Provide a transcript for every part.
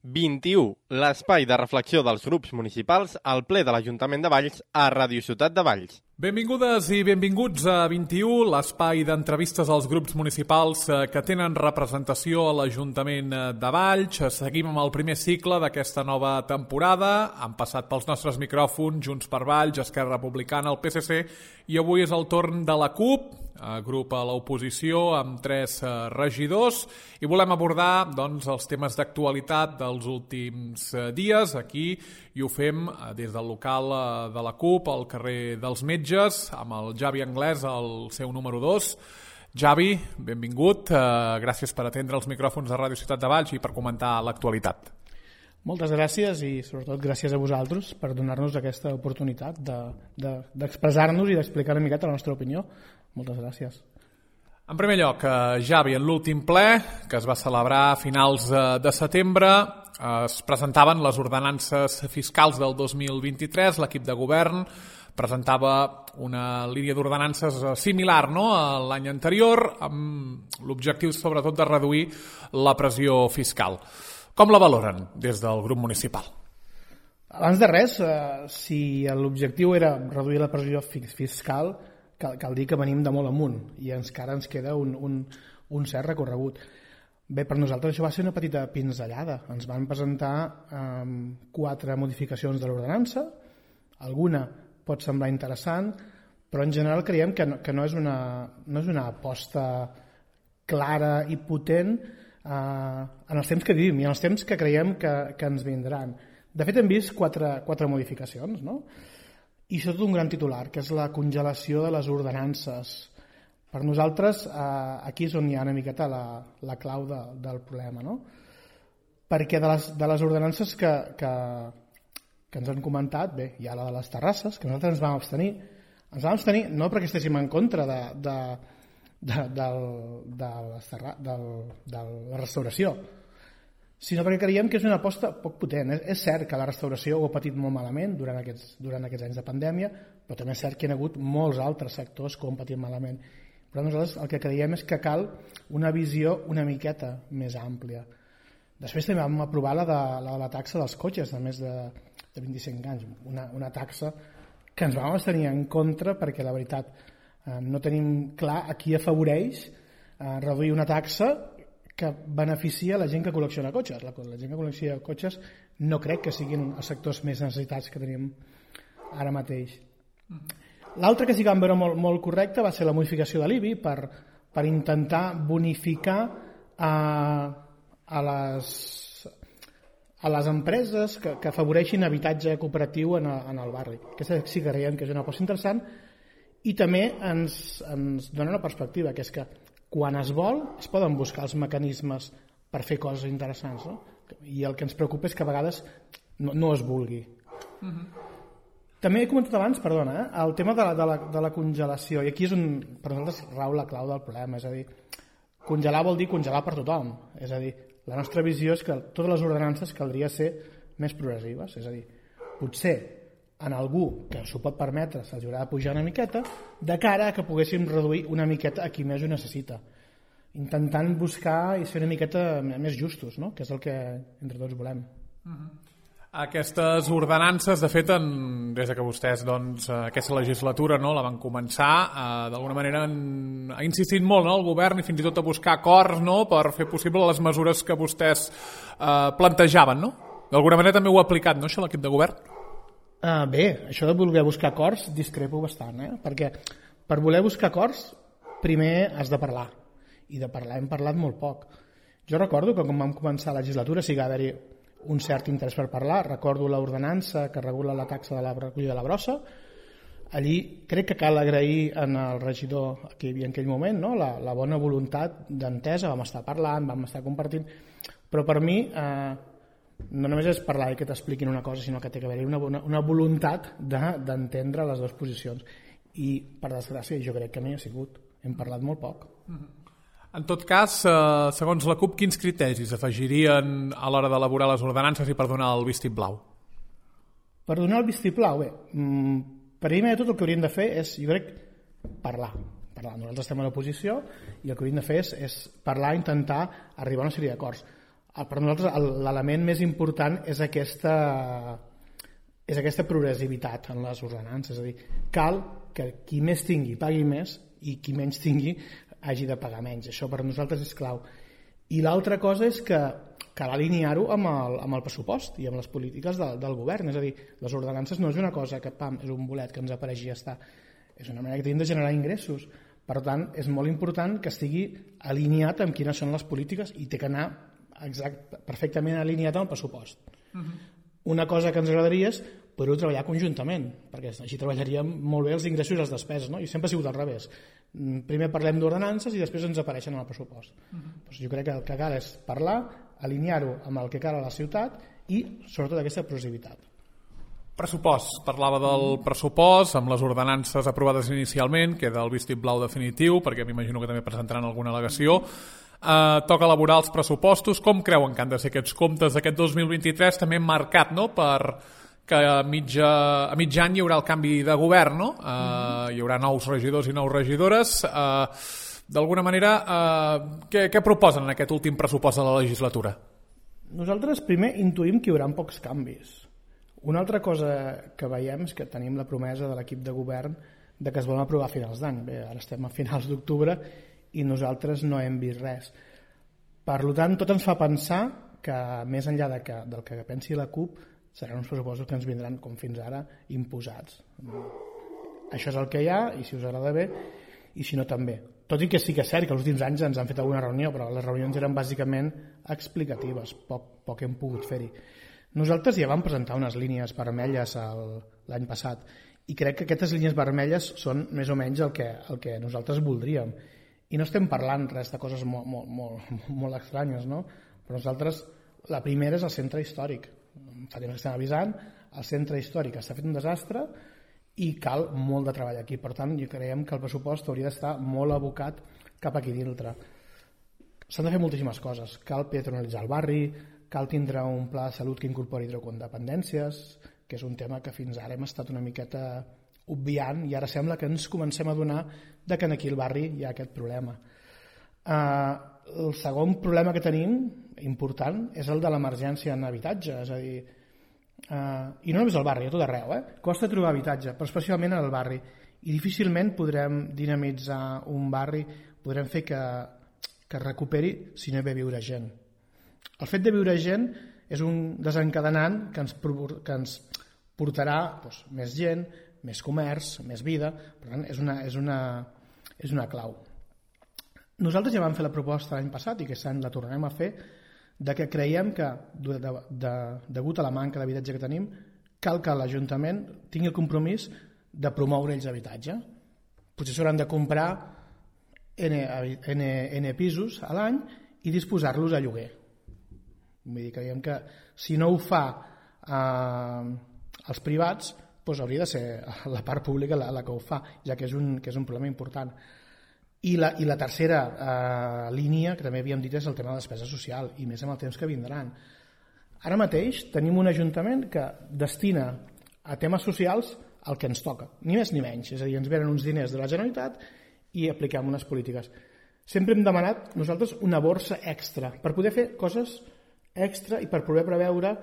21. L'espai de reflexió dels grups municipals al ple de l'Ajuntament de Valls a Ràdio Ciutat de Valls. Benvingudes i benvinguts a 21, l'espai d'entrevistes als grups municipals que tenen representació a l'Ajuntament de Valls. Seguim amb el primer cicle d'aquesta nova temporada. Han passat pels nostres micròfons Junts per Valls, Esquerra Republicana, el PSC, i avui és el torn de la CUP, grup a l'oposició amb 3 regidors, i volem abordar els temes d'actualitat dels últims dies aquí, i ho fem des del local de la CUP, al carrer dels Metges, amb el Javi Anglès, el seu número 2. Javi, benvingut. Gràcies per atendre els micròfons de Ràdio Ciutat de Valls i per comentar l'actualitat. Moltes gràcies i sobretot gràcies a vosaltres per donar-nos aquesta oportunitat d'expressar-nos i d'explicar una miqueta la nostra opinió. Moltes gràcies. En primer lloc, Javi, en l'últim ple, que es va celebrar a finals de setembre, es presentaven les ordenances fiscals del 2023, l'equip de govern presentava una línia d'ordenances similar a l'any anterior, amb l'objectiu sobretot de reduir la pressió fiscal. Com la valoren des del grup municipal? Abans de res, si l'objectiu era reduir la pressió fiscal, cal dir que venim de molt amunt i encara ens queda un cert recorregut. Bé, per nosaltres això va ser una petita pinzellada. Ens van presentar 4 modificacions de l'ordenança. Alguna pot semblar interessant, però en general creiem que no és una aposta clara i potent en els temps que vivim i en els temps que creiem que ens vindran. De fet, hem vist 4 modificacions, no? I sobretot un gran titular, que és la congelació de les ordenances. Per nosaltres, aquí és on hi ha una miqueta la clau del problema, no? Perquè de les ordenances que ens han comentat, bé, hi ha la de les terrasses, que nosaltres ens vam abstenir. Ens vam abstenir no perquè estéssim en contra de la restauració, sinó perquè creiem que és una aposta poc potent. És cert que la restauració ho ha patit molt malament durant aquests anys de pandèmia, però també és cert que hi ha hagut molts altres sectors que ho han patit malament. Però nosaltres el que creiem és que cal una visió una miqueta més àmplia. Després també vam aprovar la de la taxa dels cotxes de més de 25 anys, una taxa que ens vam abstenir en contra perquè la veritat no tenim clar a qui afavoreix reduir una taxa que beneficia la gent que col·lecciona cotxes. La gent que col·lecciona cotxes no crec que siguin els sectors més necessitats que tenim ara mateix. L'altre que sí que vam veure molt correcte va ser la modificació de l'IBI per intentar bonificar a les empreses que afavoreixin habitatge cooperatiu en el barri. Aquesta sí que creiem que és una aposta interessant i també ens dona una perspectiva, que és que quan es vol, es poden buscar els mecanismes per fer coses interessants, no? I el que ens preocupa és que a vegades no es vulgui. També he comentat abans, perdona, el tema de la congelació, i aquí és on per nosaltres rau la clau del problema, és a dir, congelar vol dir congelar per tothom, és a dir, la nostra visió és que totes les ordenances caldria ser més progressives, és a dir, potser en algú que s'ho pot permetre se'ls haurà de pujar una miqueta de cara a que poguéssim reduir una miqueta a qui més ho necessita, intentant buscar i ser una miqueta més justos, no? Que és el que entre tots volem. Aquestes ordenances, de fet, des que vostès aquesta legislatura la van començar, d'alguna manera ha insistit molt el govern i fins i tot a buscar acords per fer possible les mesures que vostès plantejaven. D'alguna manera també ho ha aplicat, no, això, l'equip de govern? Bé, això de voler buscar acords discrepo bastant, perquè per voler buscar acords primer has de parlar, i de parlar hem parlat molt poc. Jo recordo que quan vam començar la legislatura sí que va haver-hi un cert interès per parlar. Recordo l'ordenança que regula la taxa de la recollida de la brossa. Allí crec que cal agrair al regidor que hi havia en aquell moment la bona voluntat d'entesa, vam estar parlant, vam estar compartint, però per mi no només és parlar i que t'expliquin una cosa, sinó que té que haver-hi una voluntat d'entendre les dues posicions. I, per desgràcia, jo crec que no hi ha sigut. Hem parlat molt poc. En tot cas, segons la CUP, quins criteris afegirien a l'hora d'elaborar les ordenances i per donar el vistiplau? Per donar el vistiplau, bé, primer de tot el que hauríem de fer és, jo crec, parlar. Nosaltres estem a l'oposició i el que hauríem de fer és parlar i intentar arribar a una sèrie d'acords. Per nosaltres l'element més important és aquesta progressivitat en les ordenances, és a dir, cal que qui més tingui pagui més i qui menys tingui hagi de pagar menys. Això per nosaltres és clau. I l'altra cosa és que cal alinear-ho amb el pressupost i amb les polítiques del govern. És a dir, les ordenances no és una cosa que és un bolet que ens apareix i ja està. És una manera que tenim de generar ingressos. Per tant, és molt important que estigui alineat amb quines són les polítiques i té que anar perfectament alineat amb el pressupost. Una cosa que ens agradaria és poder treballar conjuntament, perquè així treballaríem molt bé els ingressos i les despeses, no? I sempre ha sigut al revés. Primer parlem d'ordenances i després ens apareixen en el pressupost. Doncs jo crec que el que cal és parlar, alinear-ho amb el que cal a la ciutat i sobretot aquesta progressivitat. Pressupost. Parlava del pressupost amb les ordenances aprovades inicialment, queda el vistiplau definitiu, perquè m'imagino que també presentaran alguna al·legació. Toca elaborar els pressupostos. Com creuen que han de ser aquests comptes d'aquest 2023, també marcat, no?, per que a mig any hi haurà el canvi de govern, no? Hi haurà nous regidors i nous regidores. D'alguna manera, què proposen en aquest últim pressupost de la legislatura? Nosaltres primer intuïm que hi haurà pocs canvis. Una altra cosa que veiem és que tenim la promesa de l'equip de govern de que es volen aprovar a finals d'any. Bé, ara estem a finals d'octubre i nosaltres no hem vist res. Per tant, tot ens fa pensar que més enllà del que pensi la CUP seran uns pressupostos que ens vindran, com fins ara, imposats. Això és el que hi ha i si us agrada bé i si no també. Tot i que sí que és cert que els últims anys ens han fet alguna reunió, però les reunions eren bàsicament explicatives, poc hem pogut fer-hi. Nosaltres ja vam presentar unes línies vermelles l'any passat i crec que aquestes línies vermelles són més o menys el que nosaltres voldríem. I no estem parlant res de coses molt estranyes, no? Però nosaltres, la primera és el centre històric. Fa temps que estem avisant, el centre històric està fet un desastre i cal molt de treball aquí. Per tant, jo creiem que el pressupost hauria d'estar molt abocat cap aquí dintre. S'han de fer moltíssimes coses. Cal peatonalitzar el barri, cal tindre un pla de salut que incorpori hidrocondependències, que és un tema que fins ara hem estat una miqueta obviant i ara sembla que ens comencem a adonar que aquí al barri hi ha aquest problema. El segon problema que tenim, important, és el de l'emergència en habitatge, és a dir, i no només al barri, a tot arreu, costa trobar habitatge, però especialment al barri, i difícilment podrem dinamitzar un barri, podrem fer que recuperi si no hi ve viure gent. El fet de viure gent és un desencadenant que ens portarà més gent, més comerç, més vida, per tant és una clau. Nosaltres ja vam fer la proposta l'any passat i aquest any la tornarem a fer, de que creiem que degut a la manca d'habitatge que tenim cal que l'Ajuntament tingui el compromís de promoure ells habitatge. Potser s'hauran de comprar N pisos a l'any i disposar-los a lloguer. Vull dir, creiem que si no ho fa els privats, doncs hauria de ser la part pública la que ho fa, ja que és un problema important. I la tercera línia, que també havíem dit, és el tema de despesa social, i més amb el temps que vindran. Ara mateix tenim un ajuntament que destina a temes socials el que ens toca, ni més ni menys. És a dir, ens venen uns diners de la Generalitat i apliquem unes polítiques. Sempre hem demanat nosaltres una borsa extra per poder fer coses extra i per poder preveure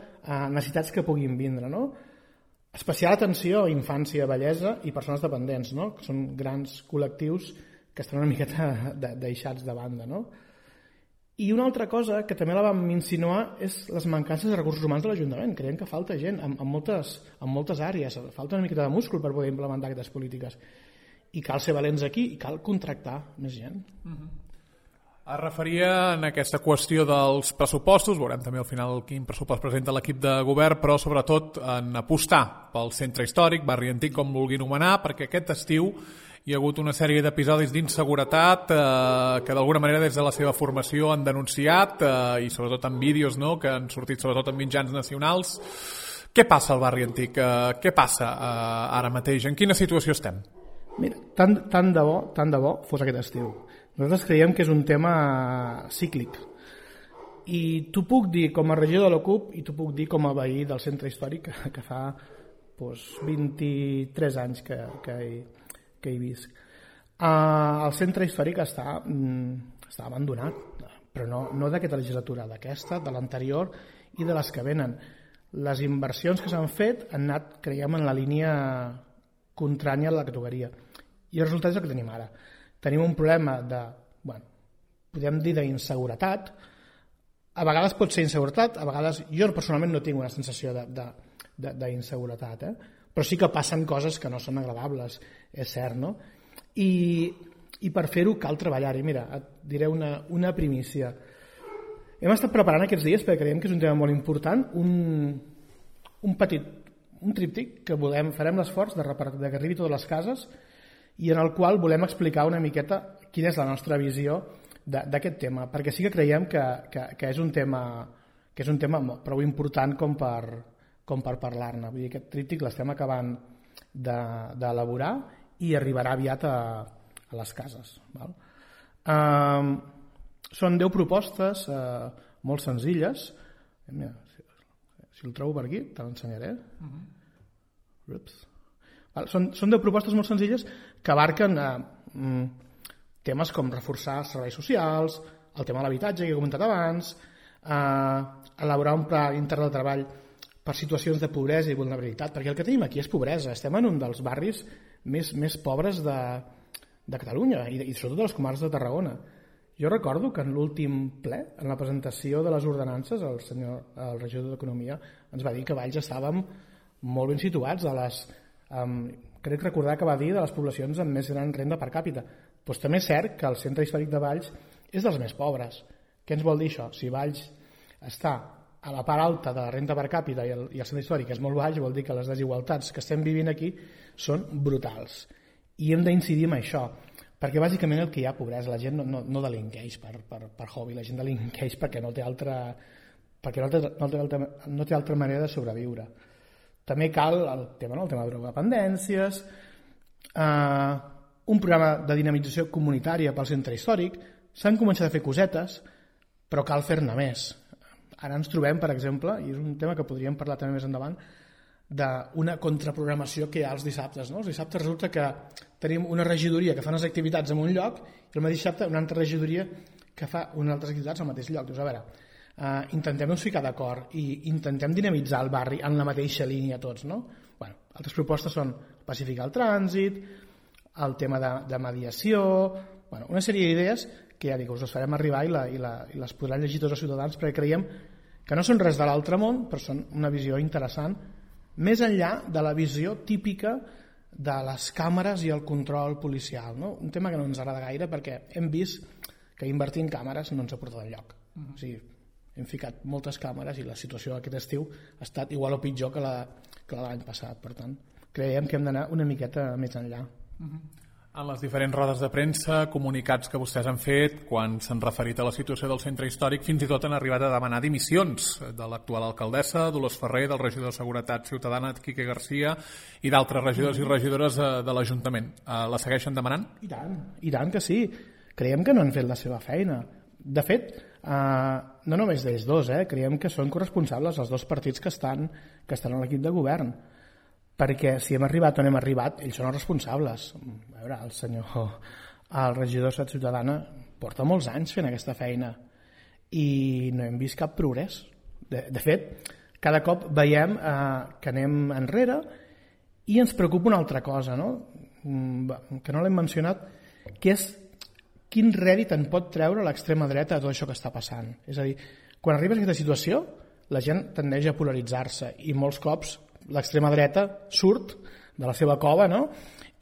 necessitats que puguin vindre, no? Especial atenció a infància, vellesa i persones dependents, no? Que són grans col·lectius que estan una miqueta deixats de banda, no? I una altra cosa que també la vam insinuar és les mancances de recursos humans de l'Ajuntament. Creiem que falta gent en moltes àrees, falta una miqueta de múscul per poder implementar aquestes polítiques. I cal ser valents aquí i cal contractar més gent. Es referia en aquesta qüestió dels pressupostos, veurem també al final quin pressupost presenta l'equip de govern, però sobretot en apostar pel centre històric, barri antic, com vulgui anomenar, perquè aquest estiu hi ha hagut una sèrie d'episodis d'inseguretat que d'alguna manera des de la seva formació han denunciat i sobretot en vídeos, no?, que han sortit sobretot en mitjans nacionals. Què passa al barri antic? Què passa ara mateix? En quina situació estem? Mira, tant de bo fos aquest estiu. Nosaltres creiem que és un tema cíclic. I t'ho puc dir com a regidor de la CUP i t'ho puc dir com a veí del centre històric que fa 23 anys que hi visc. El centre històric està abandonat però no d'aquesta legislatura, d'aquesta, de l'anterior i de les que venen. Les inversions que s'han fet han anat, creiem, en la línia contrària a la categoria. I el resultat és el que tenim ara. Tenim un problema de, podem dir, d'inseguretat. A vegades pot ser inseguretat, a vegades jo personalment no tinc una sensació d'inseguretat, però sí que passen coses que no són agradables, és cert, no? I per fer-ho cal treballar-hi. Mira, et diré una primícia. Hem estat preparant aquests dies, perquè creiem que és un tema molt important, un tríptic que farem l'esforç de que arribi a totes les cases i en el qual volem explicar una miqueta quina és la nostra visió d'aquest tema, perquè sí que creiem que és un tema prou important com per parlar-ne. Vull dir, aquest tríptic l'estem acabant d'elaborar i arribarà aviat a les cases. Val? Són 10 propostes molt senzilles. Mira, si el trobo per aquí, te l'ensenyaré. Són 10 propostes molt senzilles que abarquen temes com reforçar els serveis socials, el tema de l'habitatge que he comentat abans, elaborar un pla intern de treball per situacions de pobresa i vulnerabilitat, perquè el que tenim aquí és pobresa. Estem en un dels barris més pobres de Catalunya i sobretot de les comarques de Tarragona. Jo recordo que en l'últim ple, en la presentació de les ordenances, el regidor d'Economia ens va dir que Valls estàvem molt ben situats crec recordar que va dir de les poblacions amb més gran renda per càpita. Doncs també és cert que el centre històric de Valls és dels més pobres. Què ens vol dir això? Si Valls està a la part alta de la renda per càpita i el centre històric és molt baix, vol dir que les desigualtats que estem vivint aquí són brutals. I hem d'incidir en això, perquè bàsicament el que hi ha pobresa, la gent no delinqueix per hobby, la gent delinqueix perquè no té altra manera de sobreviure. També cal el tema de drogodependències, un programa de dinamització comunitària pel centre històric. S'han començat a fer cosetes, però cal fer-ne més. Ara ens trobem, per exemple, i és un tema que podríem parlar també més endavant, d'una contraprogramació que hi ha els dissabtes. No? Els dissabtes resulta que tenim una regidoria que fa unes activitats en un lloc i el mateix dissabte una altra regidoria que fa unes altres activitats al mateix lloc. Dius, a veure, intentem-nos ficar d'acord i intentem dinamitzar el barri en la mateixa línia tots. No? Altres propostes són pacificar el trànsit, el tema de mediació, una sèrie d'idees que ja dic, us les farem arribar i les podran llegir tots els ciutadans, perquè creiem que no són res de l'altre món, però són una visió interessant, més enllà de la visió típica de les càmeres i el control policial. No? Un tema que no ens agrada gaire perquè hem vist que invertir en càmeres no ens ha portat enlloc. O sigui, hem ficat moltes càmeres i la situació aquest estiu ha estat igual o pitjor que l'any passat. Per tant, creiem que hem d'anar una miqueta més enllà. En les diferents rodes de premsa, comunicats que vostès han fet, quan s'han referit a la situació del centre històric, fins i tot han arribat a demanar dimissions de l'actual alcaldessa, Dolors Ferrer, del regidor de Seguretat Ciutadana, Quique Garcia, i d'altres regidors i regidores de l'Ajuntament. La segueixen demanant? I tant que sí. Creiem que no han fet la seva feina. De fet, no només d'ells dos, creiem que són corresponsables els dos partits que estan a l'equip de govern. Perquè si hem arribat on hem arribat, ells són els responsables. A veure, el regidor de Seguretat Ciutadana porta molts anys fent aquesta feina i no hem vist cap progrés. De fet, cada cop veiem que anem enrere i ens preocupa una altra cosa, no? Que no l'hem mencionat, que és quin rèdit en pot treure l'extrema dreta de tot això que està passant. És a dir, quan arribes a aquesta situació, la gent tendeix a polaritzar-se i molts cops l'extrema dreta surt de la seva cova, no?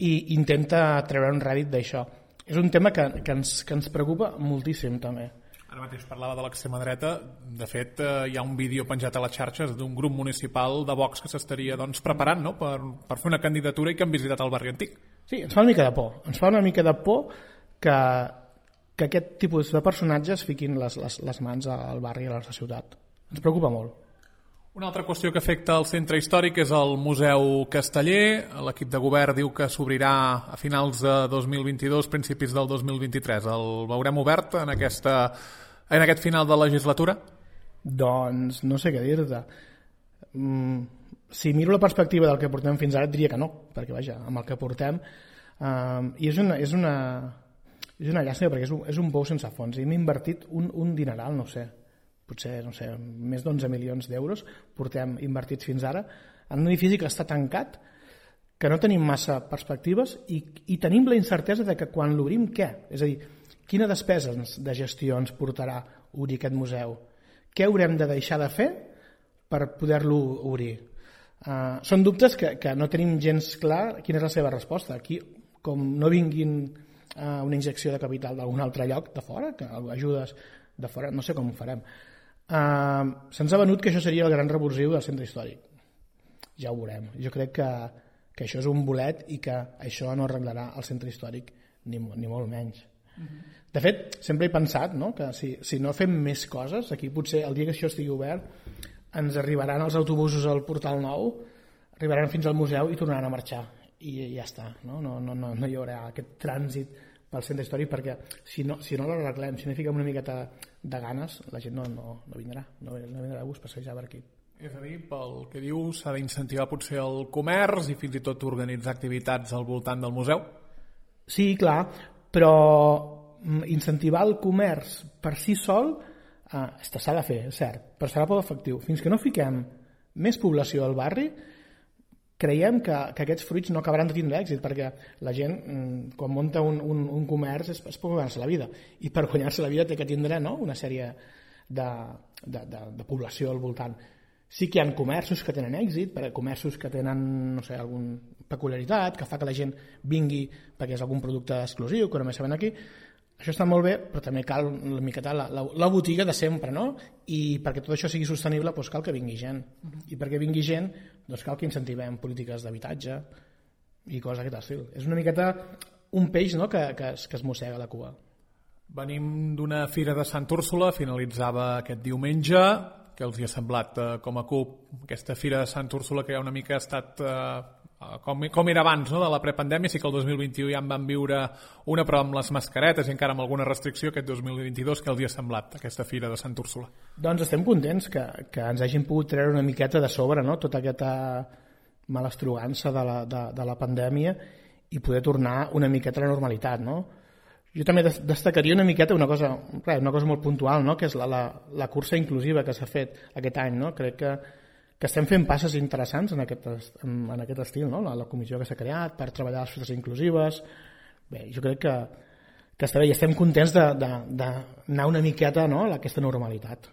I intenta treure un rèdit d'això. És un tema que ens preocupa moltíssim també. Ara mateix parlava de l'extrema dreta. De fet, hi ha un vídeo penjat a les xarxes d'un grup municipal de Vox que s'estaria preparant, no? per fer una candidatura i que han visitat el barri antic. Sí, ens fa una mica de por. Ens fa una mica de por que aquest tipus de personatges fiquin les mans al barri i a la ciutat. Ens preocupa molt. Una altra qüestió que afecta el centre històric és el Museu Casteller. L'equip de govern diu que s'obrirà a finals de 2022, principis del 2023. El veurem obert en aquest final de legislatura? Doncs no sé què dir-te. Si miro la perspectiva del que portem fins ara et diria que no, perquè vaja, amb el que portem i és És una llàstima perquè és un pou sense fons. Hem invertit un dineral, no sé, potser, no sé, més d'11 milions d'euros portem invertits fins ara en un edifici que està tancat, que no tenim massa perspectives i tenim la incertesa de que quan l'obrim, què? És a dir, quina despesa de gestió ens portarà obrir aquest museu? Què haurem de deixar de fer per poder-lo obrir? Són dubtes que no tenim gens clar quina és la seva resposta. Aquí, com no vinguin una injecció de capital d'algun altre lloc de fora, que ajudes de fora, no sé com ho farem. Se'ns ha venut que això seria el gran revulsiu del centre històric. Ja ho veurem. Jo crec que això és un bolet i que això no arreglarà el centre històric ni molt menys. De fet, sempre he pensat, no?, que si no fem més coses, aquí potser el dia que això estigui obert ens arribaran els autobusos al Portal Nou, arribaran fins al museu i tornaran a marxar. I ja està, no hi haurà aquest trànsit pel centre històric, perquè si no l'arreglem, si no hi fiquem una miqueta de ganes, la gent no vindrà, no vindrà a gust passejar per aquí. És a dir, pel que diu, s'ha d'incentivar potser el comerç i fins i tot organitzar activitats al voltant del museu? Sí, clar, però incentivar el comerç per si sol s'ha de fer, és cert, però serà poc efectiu. Fins que no fiquem més població al barri, creiem que aquests fruits no acabaran de tindre èxit, perquè la gent, quan munta un comerç, és per guanyar-se la vida. I per guanyar-se la vida té que tindre, no?, una sèrie de població al voltant. Sí que hi ha comerços que tenen èxit, comerços que tenen, no sé, alguna peculiaritat, que fa que la gent vingui perquè és algun producte exclusiu, que només se ven aquí. Això està molt bé, però també cal una miqueta la botiga de sempre, no? I perquè tot això sigui sostenible, doncs cal que vingui gent. I perquè vingui gent, doncs cal que incentivem polítiques d'habitatge i coses d'aquest estil. És una miqueta un peix, no?, que es mossega la cua. Venim d'una fira de Sant Úrsula, finalitzava aquest diumenge. Què els hi ha semblat com a CUP aquesta fira de Sant Úrsula, que ja una mica ha estat com era abans, no?, de la prepandèmia? Sí que el 2021 ja en van viure una, però amb les mascaretes i encara amb alguna restricció. Aquest 2022 què els hi ha semblat aquesta fira de Sant Úrsula? Doncs estem contents que ens hagin pogut treure una miqueta de sobre, no?, tota aquesta malastrugança de la pandèmia i poder tornar una miqueta a la normalitat, no? Jo també destacaria una miqueta una cosa molt puntual, no?, que és la cursa inclusiva que s'ha fet aquest any, no? Crec que estem fent passes interessants en aquest estil, no?, la comissió que s'ha creat per treballar les festes inclusives. Bé, jo crec que està bé i estem contents d'anar una miqueta, no?, a aquesta normalitat.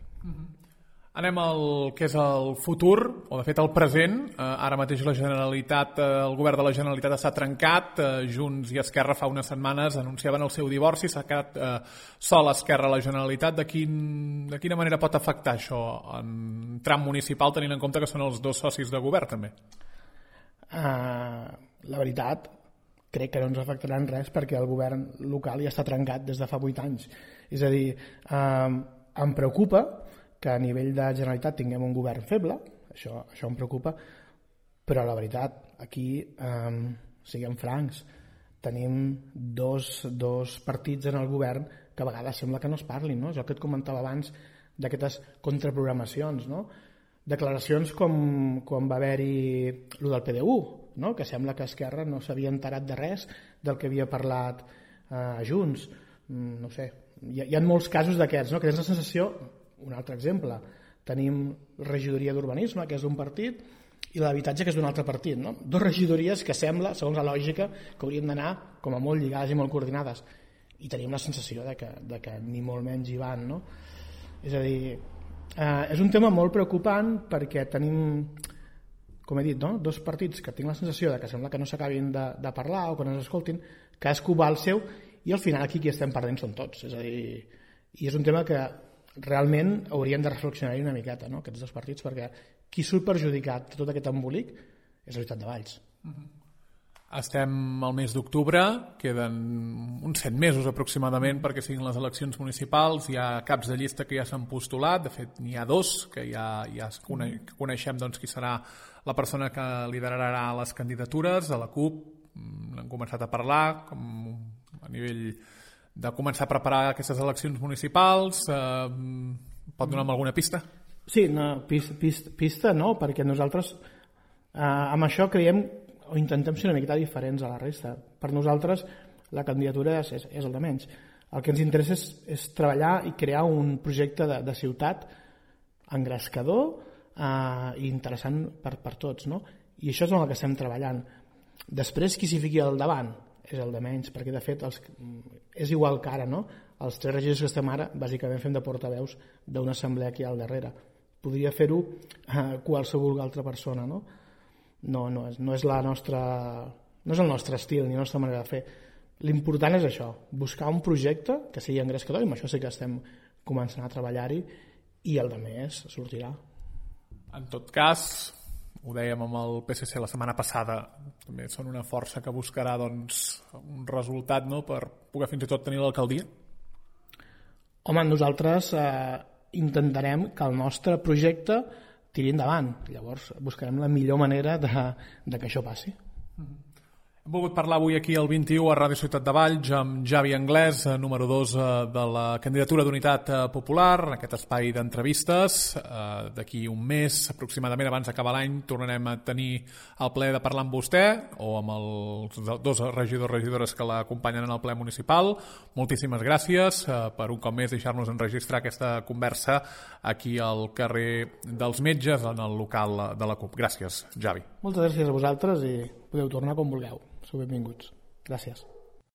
Anem al que és el futur, o de fet el present. Ara mateix la Generalitat, el govern de la Generalitat està trencat. Junts i Esquerra fa unes setmanes anunciaven el seu divorci, s'ha quedat sol Esquerra a la Generalitat. De quina manera pot afectar això en tram municipal, tenint en compte que són els dos socis de govern també? La veritat, crec que no ens afectarà en res perquè el govern local ja està trencat des de fa 8 anys. És a dir, em preocupa que a nivell de Generalitat tinguem un govern feble, això em preocupa, però la veritat, aquí, siguem francs, tenim dos partits en el govern que a vegades sembla que no es parlin, no? És el que et comentava abans d'aquestes contraprogramacions, no? Declaracions com quan va haver-hi el del PDU, no?, que sembla que Esquerra no s'havia enterat de res del que havia parlat Junts. No sé, hi ha molts casos d'aquests, no?, que tens la sensació. Un altre exemple, tenim regidoria d'urbanisme, que és d'un partit, i l'habitatge, que és d'un altre partit, no? Dos regidories que sembla, segons la lògica, que haurien d'anar com a molt lligades i molt coordinades, i tenim la sensació de que ni molt menys hi van, no? És a dir, és un tema molt preocupant perquè tenim, com he dit, no?, dos partits que tinc la sensació de que sembla que no s'acabin de parlar o que no s'escoltin, cadascú va al seu, i al final aquí qui estem perdent són tots. És a dir, i és un tema que realment haurien de reflexionar-hi una miqueta, no?, aquests dos partits, perquè qui surt perjudicat de tot aquest embolic és la ciutat de Valls. Estem al mes d'octubre, queden uns 7 mesos aproximadament perquè siguin les eleccions municipals. Hi ha caps de llista que ja s'han postulat, de fet n'hi ha 2 que ja coneixem doncs, qui serà la persona que liderarà les candidatures. A la CUP n'han començat a parlar a nivell de començar a preparar aquestes eleccions municipals. Pot donar-me alguna pista? Sí, no, pista no, perquè nosaltres amb això creiem o intentem ser una miqueta diferents a la resta. Per nosaltres la candidatura és el de menys. El que ens interessa és treballar i crear un projecte de ciutat engrescador i interessant per tots, no? I això és en el que estem treballant. Després, qui s'hi fiqui al davant és el de menys, perquè de fet és igual que ara, no? Els 3 regidors que estem ara bàsicament fem de portaveus d'una assemblea aquí al darrere. Podria fer-ho qualsevol altra persona, no? No és el nostre estil ni la nostra manera de fer. L'important és això, buscar un projecte que sigui engrescador, i amb això sí que estem començant a treballar-hi, i el de més sortirà. En tot cas, ho dèiem amb el PSC la setmana passada, també són una força que buscarà doncs, un resultat, no?, per poder fins i tot tenir l'alcaldia. Home, nosaltres intentarem que el nostre projecte tiri endavant. Llavors buscarem la millor manera de que això passi. Hem volgut parlar avui aquí al 21 a Ràdio Ciutat de Valls amb Javi Anglès, número 2 de la candidatura d'Unitat Popular, en aquest espai d'entrevistes. D'aquí un mes, aproximadament, abans d'acabar l'any, tornarem a tenir el plaer de parlar amb vostè o amb els 2 regidors que l'acompanyen en el ple municipal. Moltíssimes gràcies per un cop més deixar-nos enregistrar aquesta conversa aquí al carrer dels Metges, en el local de la CUP. Gràcies, Javi. Moltes gràcies a vosaltres i podeu tornar quan vulgueu. Sou benvinguts. Gràcies.